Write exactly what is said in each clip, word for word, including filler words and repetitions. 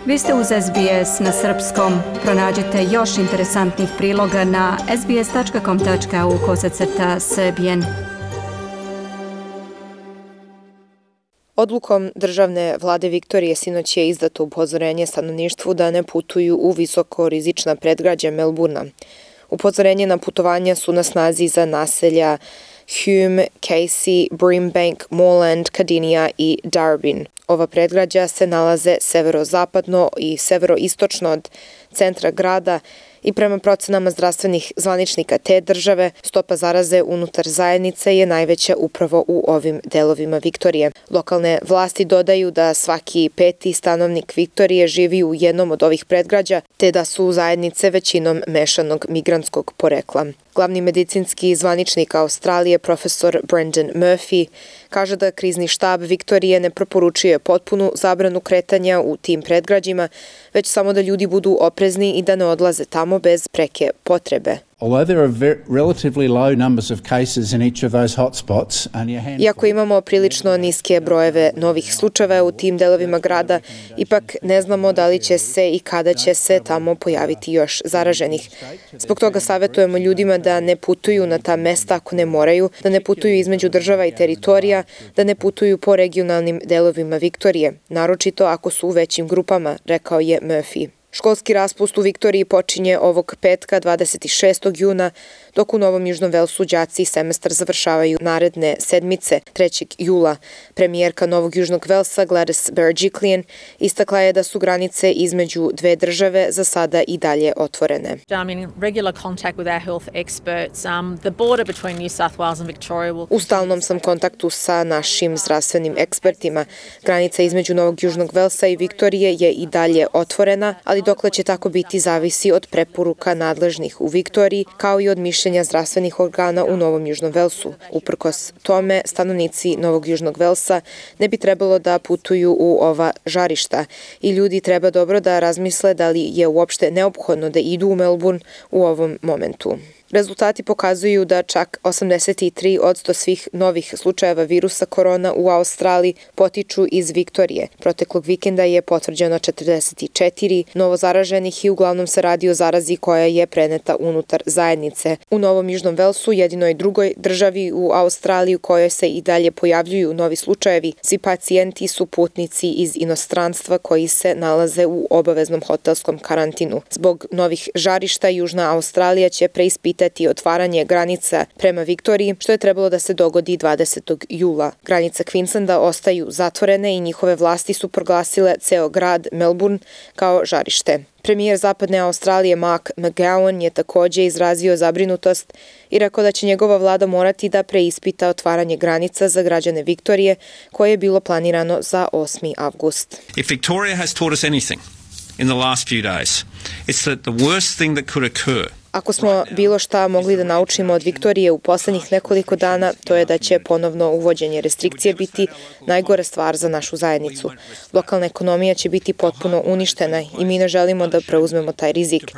Vi ste uz S B S na srpskom. Pronađite još interesantnih priloga na sbs.com.au kosacrta srbijen. Odlukom državne vlade Viktorije sinoć je izdato upozorenje stanovništvu da ne putuju u visoko rizična predgrađa Melburna. Upozorenje na putovanja su na snazi za naselja Hume, Casey, Brimbank, Moreland, Cardinia i Darwin. Ova predgrađa se nalaze severozapadno i severoistočno od centra grada i prema procenama zdravstvenih zvaničnika te države, stopa zaraze unutar zajednice je najveća upravo u ovim delovima Viktorije. Lokalne vlasti dodaju da svaki peti stanovnik Viktorije živi u jednom od ovih predgrađa, te da su zajednice većinom mešanog migrantskog porekla. Glavni medicinski zvaničnik Australije, profesor Brendan Murphy, kaže da krizni štab Viktorije ne preporučuje potpunu zabranu kretanja u tim predgrađima, već samo da ljudi budu oprezni i da ne odlaze tamo bez preke potrebe. Iako imamo prilično niske brojeve novih slučajeva u tim delovima grada, ipak ne znamo da li će se i kada će se tamo pojaviti još zaraženih. Zbog toga savjetujemo ljudima da ne putuju na ta mesta ako ne moraju, da ne putuju između država i teritorija, da ne putuju po regionalnim delovima Viktorije, naročito ako su u većim grupama, rekao je Murphy. Školski raspust u Viktoriji počinje ovog petka dvadeset šestog juna, dok u Novom Južnom Velsu đaci semestar završavaju naredne sedmice trećeg jula. Premijerka Novog Južnog Velsa Gladys Berejiklian istakla je da su granice između dve države za sada i dalje otvorene. U stalnom sam kontaktu sa našim zdravstvenim ekspertima. Granica između Novog Južnog Velsa i Viktorije je i dalje otvorena, ali dokle će tako biti zavisi od preporuka nadležnih u Viktoriji, kao i od mišljenja zdravstvenih organa u Novom Južnom Velsu. Uprkos tome, stanovnici Novog Južnog Velsa ne bi trebalo da putuju u ova žarišta i ljudi treba dobro da razmisle da li je uopšte neophodno da idu u Melbourne u ovom momentu. Rezultati pokazuju da čak osamdeset tri posto svih novih slučajeva virusa korona u Australiji potiču iz Viktorije. Proteklog vikenda je potvrđeno četrdeset četiri novo zaraženih i uglavnom se radi o zarazi koja je preneta unutar zajednice. U Novom Južnom Velsu, jedinoj drugoj državi u Australiji u kojoj se i dalje pojavljuju novi slučajevi, svi pacijenti su putnici iz inostranstva koji se nalaze u obaveznom hotelskom karantinu. Zbog novih žarišta Južna Australija će preispitati otvaranje granica prema Viktoriji, što je trebalo da se dogodi dvadesetog jula. Granice Queenslanda ostaju zatvorene i njihove vlasti su proglasile ceo grad Melbourne kao žarište. Premijer Zapadne Australije Mark McGowan je također izrazio zabrinutost i rekao da će njegova vlada morati da preispita otvaranje granica za građane Viktorije koje je bilo planirano za osmi avgust. If Victoria has taught us anything in the last few days, it's that the worst thing that could occur. Ako smo bilo šta mogli da naučimo od Viktorije u poslednjih nekoliko dana, to je da će ponovno uvođenje restrikcije biti najgore stvar za našu zajednicu. Lokalna ekonomija će biti potpuno uništena i mi ne želimo da preuzmemo taj rizik.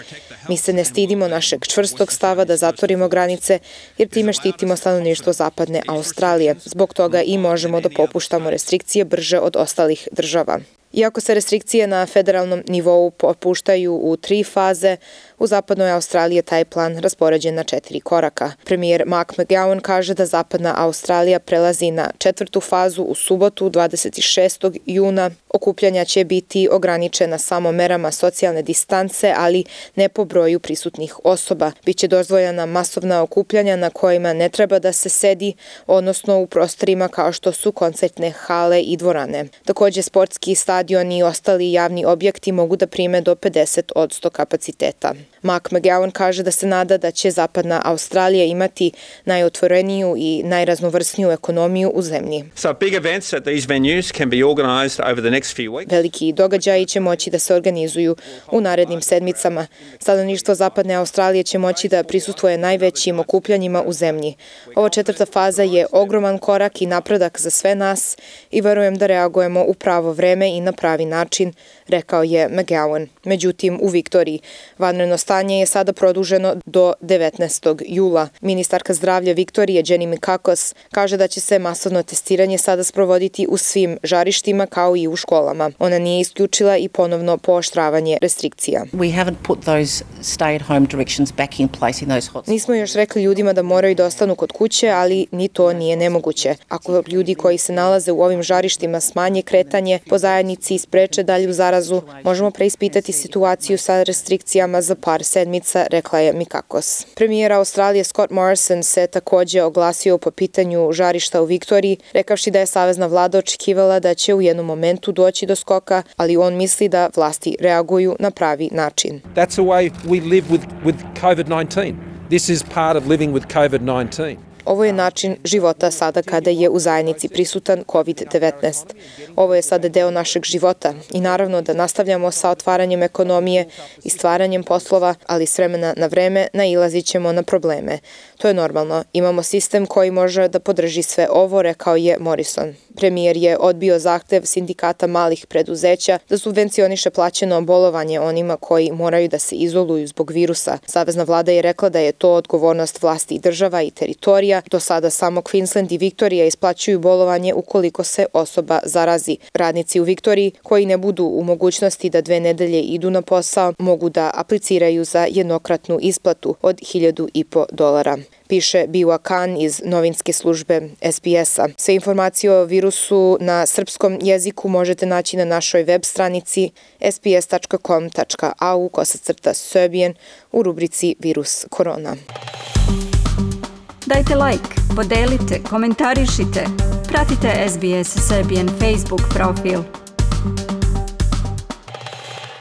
Mi se ne stidimo našeg čvrstog stava da zatvorimo granice, jer time štitimo stanovništvo Zapadne Australije. Zbog toga i možemo da popuštamo restrikcije brže od ostalih država. Iako se restrikcije na federalnom nivou popuštaju u tri faze, u Zapadnoj Australiji je taj plan raspoređen na četiri koraka. Premijer Mark McGowan kaže da Zapadna Australija prelazi na četvrtu fazu u subotu dvadeset šestog juna. Okupljanja će biti ograničena samo merama socijalne distance, ali ne po broju prisutnih osoba. Biće dozvoljena masovna okupljanja na kojima ne treba da se sedi, odnosno u prostorima kao što su koncertne hale i dvorane. Također sportski stadioni i ostali javni objekti mogu da prime do pedeset posto kapaciteta. Mark McGowan kaže da se nada da će Zapadna Australija imati najotvoreniju i najraznovrsniju ekonomiju u zemlji. So big events at these venues can be organized over the next few weeks. Veliki događaji će moći da se organizuju u narednim sedmicama. Stanovništvo Zapadne Australije će moći da prisustvuje najvećim okupljanjima u zemlji. Ova četvrta faza je ogroman korak i napredak za sve nas i verujem da reagujemo u pravo vreme i na pravi način, rekao je McGowan. Međutim, u Viktoriji vanredno Vanredno stanje je sada produženo do devetnaestog jula. Ministarka zdravlja Viktorije Jenny Mikakos kaže da će se masovno testiranje sada sprovoditi u svim žarištima kao i u školama. Ona nije isključila i ponovno pooštravanje restrikcija. We haven't put those stay-at-home directions back in place in those hotspots. Nismo još rekli ljudima da moraju da ostanu kod kuće, ali ni to nije nemoguće. Ako ljudi koji se nalaze u ovim žarištima smanje kretanje po zajednici i spreče dalju zarazu, možemo preispitati situaciju sa restrikcijama za par sedmica, rekla je Mikakos. Premijer Australije Scott Morrison se takođe oglasio po pitanju žarišta u Viktoriji, rekavši da je savezna vlada očekivala da će u jednom momentu doći do skoka, ali on misli da vlasti reaguju na pravi način. That's the way we live with, with COVID nineteen. This is part of living with COVID nineteen. Ovo je način života sada kada je u zajednici prisutan kovid devetnaest. Ovo je sada deo našeg života i naravno da nastavljamo sa otvaranjem ekonomije i stvaranjem poslova, ali s vremena na vreme nailazit ćemo na probleme. To je normalno. Imamo sistem koji može da podrži sve ovo, rekao je Morrison. Premijer je odbio zahtev sindikata malih preduzeća da subvencioniše plaćeno bolovanje onima koji moraju da se izoluju zbog virusa. Savezna vlada je rekla da je to odgovornost vlasti i država i teritorija. Do sada samo Queensland i Viktorija isplaćuju bolovanje ukoliko se osoba zarazi. Radnici u Viktoriji koji ne budu u mogućnosti da dve nedelje idu na posao mogu da apliciraju za jednokratnu isplatu od hiljadu i po dolara. Piše Biwa Khan iz novinske službe S B S-a. Sve informacije o virusu na srpskom jeziku možete naći na našoj web stranici s b s tačka com tačka a u kosacrta Serbian u rubrici Virus korona. Dajte like, podelite, komentarišite, pratite S B S Serbian Facebook profil.